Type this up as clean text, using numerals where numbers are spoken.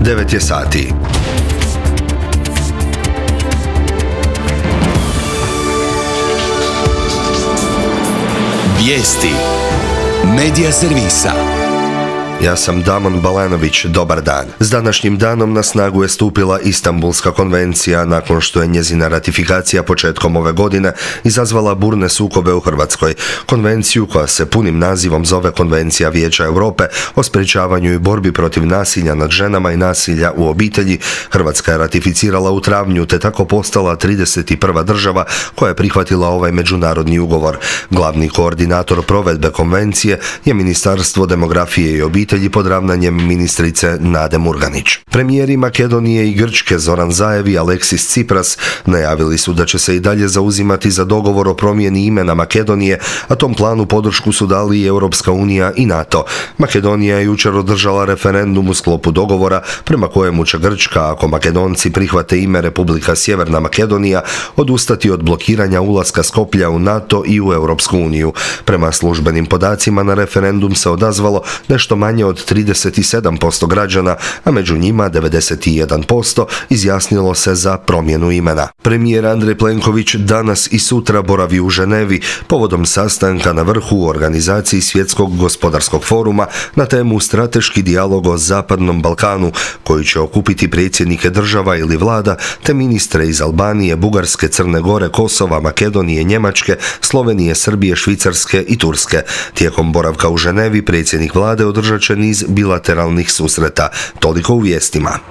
9 je sati. Vijesti Medija servisa. Ja sam Damon Balanović, dobar dan. S današnjim danom na snagu je stupila Istanbulska konvencija nakon što je njezina ratifikacija početkom ove godine izazvala burne sukobe u Hrvatskoj. Konvenciju, koja se punim nazivom zove Konvencija Vijeća Europe o sprječavanju i borbi protiv nasilja nad ženama i nasilja u obitelji, Hrvatska je ratificirala u travnju te tako postala 31. država koja je prihvatila ovaj međunarodni ugovor. Glavni koordinator provedbe konvencije je Ministarstvo demografije i obitelji pod ravnanjem ministrice Nade Murganić. Premijeri Makedonije i Grčke Zoran Zaev i Aleksis Tsipras najavili su da će se i dalje zauzimati za dogovor o promjeni imena Makedonije, a tom planu podršku su dali i Europska unija i NATO. Makedonija je jučer održala referendum u sklopu dogovora prema kojemu će Grčka, ako Makedonci prihvate ime Republika Sjeverna Makedonija, odustati od blokiranja ulaska Skoplja u NATO i u Europsku uniju. Prema službenim podacima na referendum se odazvalo nešto manje od 37% građana, a među njima 91% izjasnilo se za promjenu imena. Premijer Andrej Plenković danas i sutra boravi u Ženevi povodom sastanka na vrhu u organizaciji Svjetskog gospodarskog foruma na temu strateški dijalog o Zapadnom Balkanu, koji će okupiti predsjednike država ili vlada te ministre iz Albanije, Bugarske, Crne Gore, Kosova, Makedonije, Njemačke, Slovenije, Srbije, Švicarske i Turske. Tijekom boravka u Ženevi predsjednik vlade održat će niz bilateralnih susreta. Toliko u vijestima.